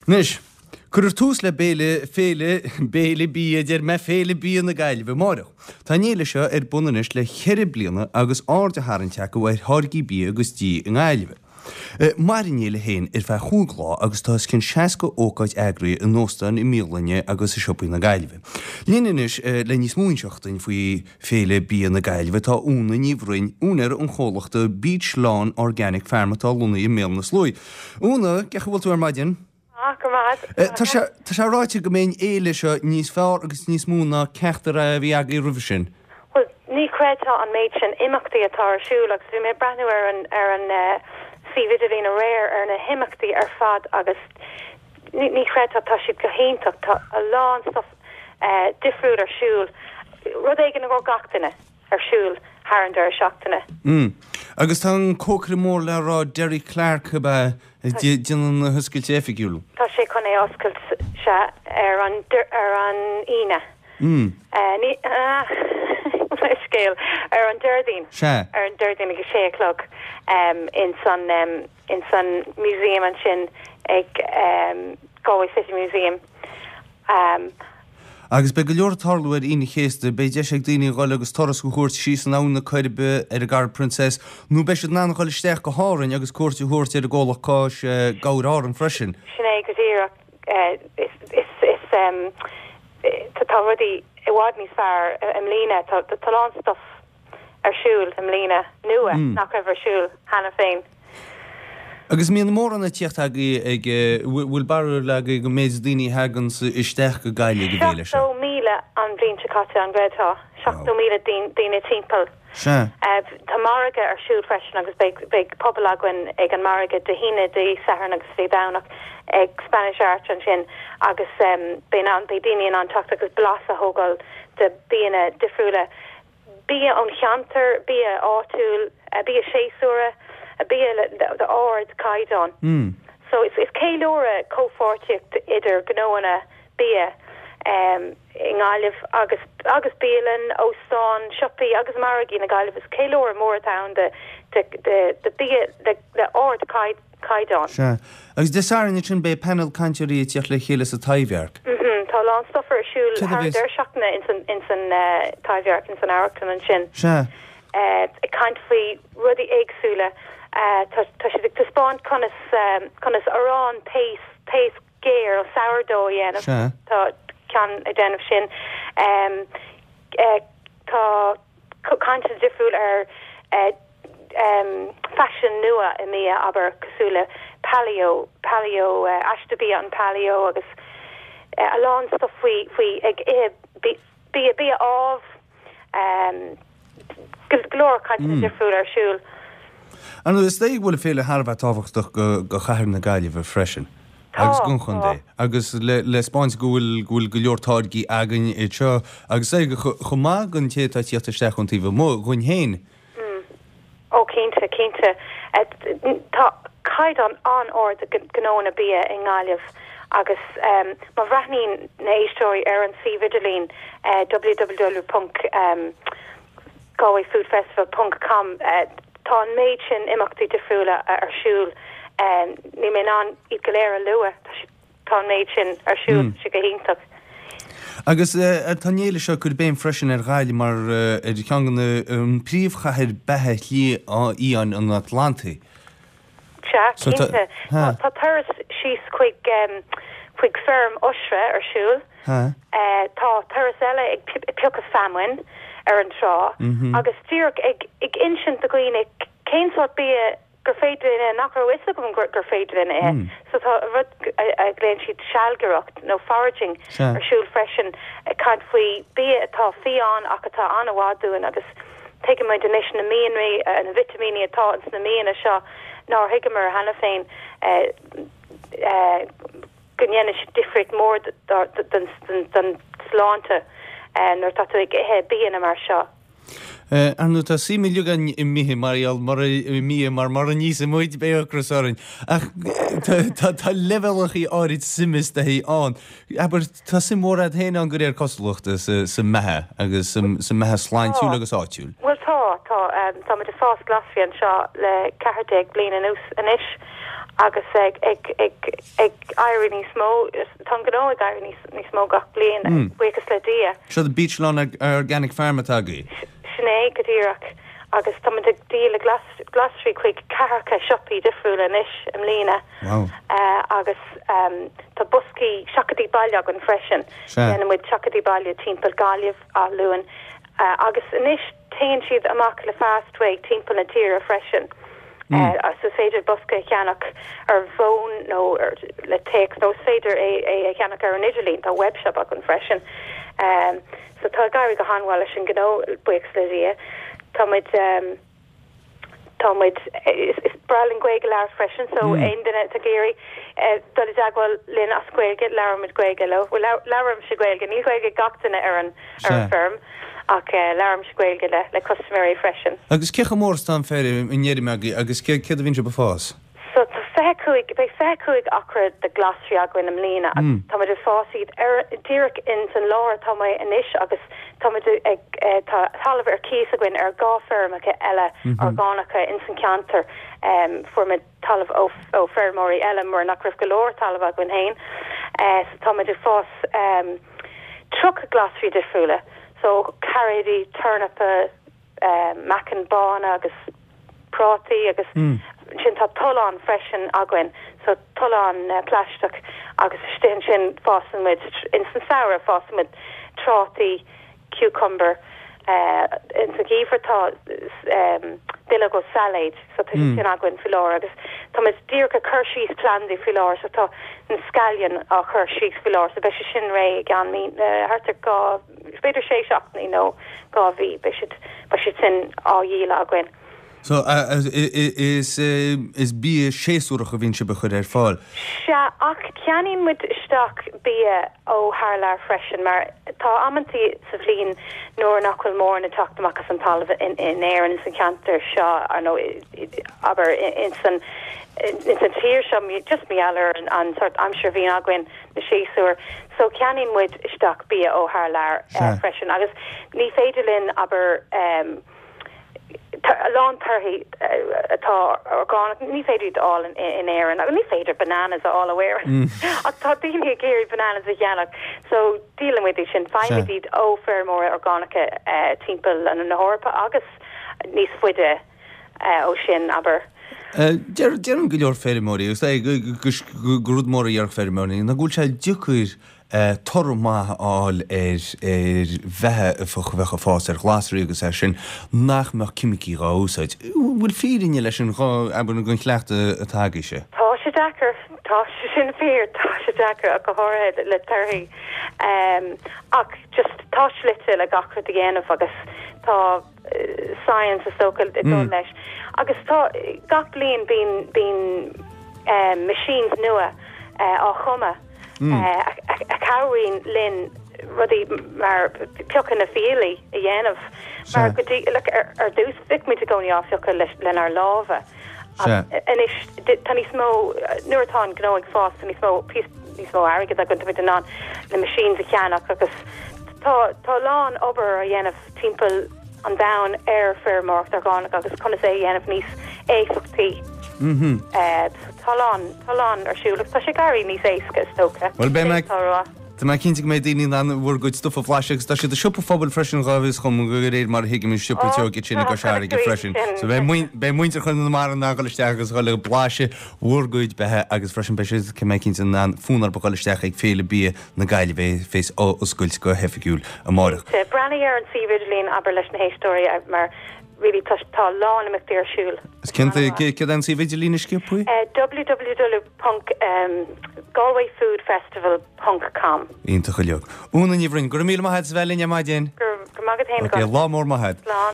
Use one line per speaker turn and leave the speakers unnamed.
Anois, cuirfear tús le béile, féile, béile bia, a deir mé, Féile Bia na Gaillimhe amáireach. Tá an fhéile seo ar bun anois le cheithre bliana agus aird á tharraingt acu ar tháirgí bia agus dí i nGaillimh. Mairfidh an fhéile féin ar feadh chúig lá agus tá os cionn 60 ócáid eagraithe in óstáin, i mbialanna agus i siopaí na Gaillimhe. Linn anois le níos mó a inseacht duinn faoi Féile Bia na Gaillimhe tá Úna Ní Bhroin, úinéir an chomhlachta Beach Lawn Organic Farm atá lonnaithe i mBéal na Sluaighe. Úna, cén chaoi a bhfuil tú ar maidin?
Ah, go maith.
Tá sé, tá sé ráite go mbeidh an fhéile seo níos fearr agus níos mó ná ceachtar a bhí agaibh roimhe sin.
Bhuel, ní chreidfeá an méid sin imeachtaí atá ar siúl agus bhí mé ag breathnú ar an, ar an suíomh idirlín aréir ar na himeachtaí ar fad agus ní, ní chreidfeá, tá siad go hiontach, tá a lán stuff difriúil ar siúl, rud éigin i gcomhair gach duine ar siúl thar an deireadh seachtaine.
Mm. Agus tá an cócaire mór le rá Derry Clarke ab ea ag déanamh na hoscailte oifigiúil?
Tá sé chun é a oscailt, sea, ar an, ar an Aoine.
Mm.
Ní, ah, leithscéal, ar an Déardaoin.
Sea.
Ar an Déardaoin ag a sé a chlog ins an, ins an museum ansin ag Galway City Museum.
Agus beidh go leor ag tarlú ar Aoine an Chéasta, beidh deis ag daoine a dhul agus turas a thabhairt síos an Abhainn na Coiribe ar an gCarraig Princess, nó beidh siad in ann a dhul isteach go hÁrainn agus cuairt a thabhairt ar an gcomhlacht cáis Gabhair Árann freisin.
Sin é go díreach. Is, is, is, tá rudaí i bhfad níos fearr i mbliana. Tá, tá a lán stuff ar siúl i mbliana, nua, nach raibh ar siúl cheana féin.
Agus mbíonn mórán ag tíocht agaibh ag, bhfuil barúil agaibh an méid daoine a thaganns isteach go Gaillimh ag an bhféile
seo? 70,000 an bhliain seo caite, an gcreidfeá? 70,000 daoine timpeall.
Sea.
Tá margadh ar siúl freisin agus beidh, beidh puball againn ag an margadh Dé hAoine, Dé Sathairn agus Dé Domhnach ag Spanish Arch ansin agus beidh in ann, beidh daoine in ann teacht agus blas a thógáil de bianna difriúla. bia ón cheantar, bia áitiúil, bia séasúrtha, bia d'ardchaighdeán. So is ceiliúradh comhpháirtíocht idir gnóanna bia i nGaillimh agus agus bialann, óstáin, siopaí agus margaí na Gaillimhe. Is ceiliúradh mór atá ann de de bia le ardchaighdeán.
caighdeán. Sea. Agus Dé Sathairn ansin beidh panel cainteoirí ag tíocht le chéile sa Taibhdhearc.
Mhm. Tá a lán stuff ar siúl Céard a thar an bheas? deireadh seachtaine ins an, ins an Taibhdhearc, ins an amharclann ansin.
Sea.
Ag caint faoi rudaí éagsúla. Tá, tá siad ag taispeáint conas, conas arán taos, taos géar, sourdough a dhéanamh.
Sea.
Tá ceann ag déanamh sin. Tá cainteanna difriúil ar faisean nua i mbia, abair, cosúil le paleo, paleo, aiste bia an paleo agus a lán stuff faoi, faoi ag ithe bia, bia amh, go leor cainteanna difriúla ar siúl.
Ar ndóigh, is dóigh go bhfuil an féile thar a bheith tábhachtach go chathair na Gaillimhe freisin agus don chontae agus le 'spáint go bhfuil go bhfuil go leor táirgí againn anseo agus é chomh maith don té atá ag tíocht isteach ón taobh amuigh, dhúinn féin.
Ó cinnte, cinnte. Tá caighdeán an-ard de ghnóanna bia i nGaillimh agus má bhreathnaíonn na héisteoirí ar an suíomh idirlín www ponc galwayfoodfestival ponc com tá an méid sin imeachtaí difriúla ar siúl. Níl mé in ann iad go léir a lua. Tá siad Tá an méid sin ar siúl, tá sé go hiontach.
Agus tá an fhéile seo ag cur béim freisin ar Ghaillimh mar ar cheann de na an príomhchathair beatha shlí fhiáin an Atlantaigh.
Sea, cinnte. Tá turas síos chuig chuig feirm oistre ar siúl. Tá turas eile ag piocadh feamainn ar an trá agus díreach ag insint do dhaoine cén sórt bia gur féidir linn ithe, nach raibh fhios agam gur féidir linn ithe. So tá rud a ghlaonn siad sealgaireacht nó foraging ar siúl freisin, ag caint faoi bia atá fiáin ach atá an-mhaith dúinn agus tuigimid anois na mianraí, na vitimíní atá ins na bianna seo nár thuigeamar cheana féin go ndéanann siad difríocht mór don sláinte nuair atá tú ag ithe bianna mar seo.
Ar ndóigh, tá suim uilig againn i mbia mar gheall mura i mbia mar mura n-íosfaidh muid beidh ocras orainn. Ach tá tá leibhéalachaí áirid suime is dóichí ann. Abair, tá suim mhór agat féin ann de réir cosúlachta sa sa mbeatha agus sa sa mbeatha sláintiúil agus áitiúil.
Bhuel tá, tá. Tá muid ag fás glasraí anseo le 14 bliain anuas anois. Agus ag ag ag ag éirí níos mó, tá an gnó ag éirí níos níos mó gach bliain, buíochas le Dia.
Seo the Beechlawn Organic Farm atá agaibh.
Sin é go díreach. Agus tá muid ag díol glasraí chuig ceathracha siopaí difriúla anois i mbliana.
Wow.
Agus tá boscaí seachadtaí baile againn freisin. Déanann muid seachadtaí baile timpeall Gaillimh, Áth Luain agus anois téann siad amach le Fastway timpeall na tíre freisin. So is féidir bosca a cheannach ar bhfón nó le téacs nó is féidir é a cheannach ar an idirlíon, tá webshop againn freisin. So tá ag éirí go han-mhaith leis an ngnó, buíochas le Dia. Tá muid, tá muid, is breá linn Gaeilge a labhairt freisin, so aon duine atá ag iarraidh dul i dteagmháil linn as Gaeilge, labhraímid Gaeilge leo. Bhuel, labhraímse Gaeilge, níl Gaeilge ag gach duine ar an, ar an bhfeirm, ach labhraímse Gaeilge le, le custaiméirí freisin.
Agus cé chomh mór is atá an feirm, an fheirm agaibh agus céard a bhíonn sibh ag fás?
So tá 25, beidh 25 acra de glasraí againn i mbliana agus tá muid ag fás iad ar, díreach ins an láthair atá mé anois agus tá muid ag, tá talamh ar cíos againn ar 2 feirmeacha eile orgánacha ins an ceantar. Fuair muid talamh ó, ó feirmeoirí eile mar nach raibh go leor talamh againn féin. So tá muid ag fás 30 glasraí difriúla, so cairéidí, tornapa, meacain bána agus prátaí agus ansin tá tollán freisin againn, so tollán plaisteach agus istigh ansin fásann muid, ins an samhradh fásann muid trátaí, cucumber, ins an gheimhreadh tá duilleoga sailéid so tá siad sin againn faoi láthair agus tá muid díreach ag cur síos plandaí faoi láthair so tá na scallion á chur síos faoi láthair so beidh sé sin réidh i gceann mí, thart ar 2, b'fhéidir sé seachtainí nó 2 mhí, beidh siad, beidh siad sin á dhíol againn.
So, is, is bia séasúrach a bhíonn sibh a chur ar fáil?
Sea, ach ceannaíonn muid isteach bia ó thar lear freisin mar tá amantaí sa bhliain nuair nach bhfuil mórán ag teacht amach as an talamh in Éirinn, san cheantar seo, nó abair ins an, ins an tír seo, just mar gheall ar an sórt aimsir a bhíonn againn. na séasúir. So ceannaíonn muid isteach bia ó thar lear freisin agus ní féidir linn, abair, a lán torthaí atá orgánach, ní féidir iad a fháil in Éirinn agus ní féidir bananas a fháil ó Éirinn ach tá daoine ag iarraidh bananas a cheannach so díolann muid iad sin, faighimid iad ó feirmeoirí orgánacha timpeall na hEorpa agus níos faide. ó sin, abair.
Deireann go leor feirmeoirí, agus é gur rud mór a déarfadh feirmeoirí, ná go bhfuil sé deacair toradh maith a fháil ar bheatha a bheadh ag fás ar ghlasraí agus é sin, nach mbeadh ceimicí dhá úsáid. An bhfuil fírinne leis sin, abair, den chleachtadh atá agaibhse?
Tá sé deacair, tá sé sin fíor, tá sé deacair ach go háirithe le torthaí. Ach just tá slite le gach rud a dhéanamh agus tá, science is dócha ag dul leis. Agus tá, gach bliain bíonn, bíonn machines nua á chumadh a chabhraíonn linn rudaí mar piocadh na fiailí a dhéanamh. Mar go dtí, like, ar, ar dtús bhíodh muid i gcónaí á phiocadh leis, lenár lámha. Anois tá níos mó, nuair atá an gnó ag fás tá níos mó, níos mó airgead againn, tá muid in ann na machines a cheannach agus tá, tá a lán obair á dhéanamh timpeall an domhain ar feirmeoireacht orgánach agus conas é a dhéanamh níos éifeachtaí. Tá a lán, tá a lán ar siúl agus tá sé ag éirí níos éasca is dócha.
Bhuel beidh mé, tá mé cinnte go mbeidh daoine in ann bhur gcuid stuif a bhlaiseadh agus tá siad i siopa phobail freisin dhá bhfios dhom de réir mar a thuigim an siopa Teo sin i gCois Fharraige freisin. So beidh, beidh muintir Chonamara in ann dhul isteach agus dhul ag blaiseadh bhur gcuid beatha agus freisin beidh siad, tá mé cinnte, in ann fonn orthu dhul isteach ag Féile Bia na Gaillimhe a bheas á oscailt go hoifigiúil amárach.
Cinnte. Breathnaigh ar an suíomh idirlín, abair leis na héisteoirí mar really tá tá a lán imeachtaí ar siúl.
Is cén céard é an suíomh idirlín a sciobthaí?
www ponc galwayfoodfestival ponc com.
Iontach uilig. Úna Ní Bhroin, go raibh míle maith agat as a bheith linn ar maidin.
Go raibh maith agat féin.
Ok, lá mór maith agat.
Slán.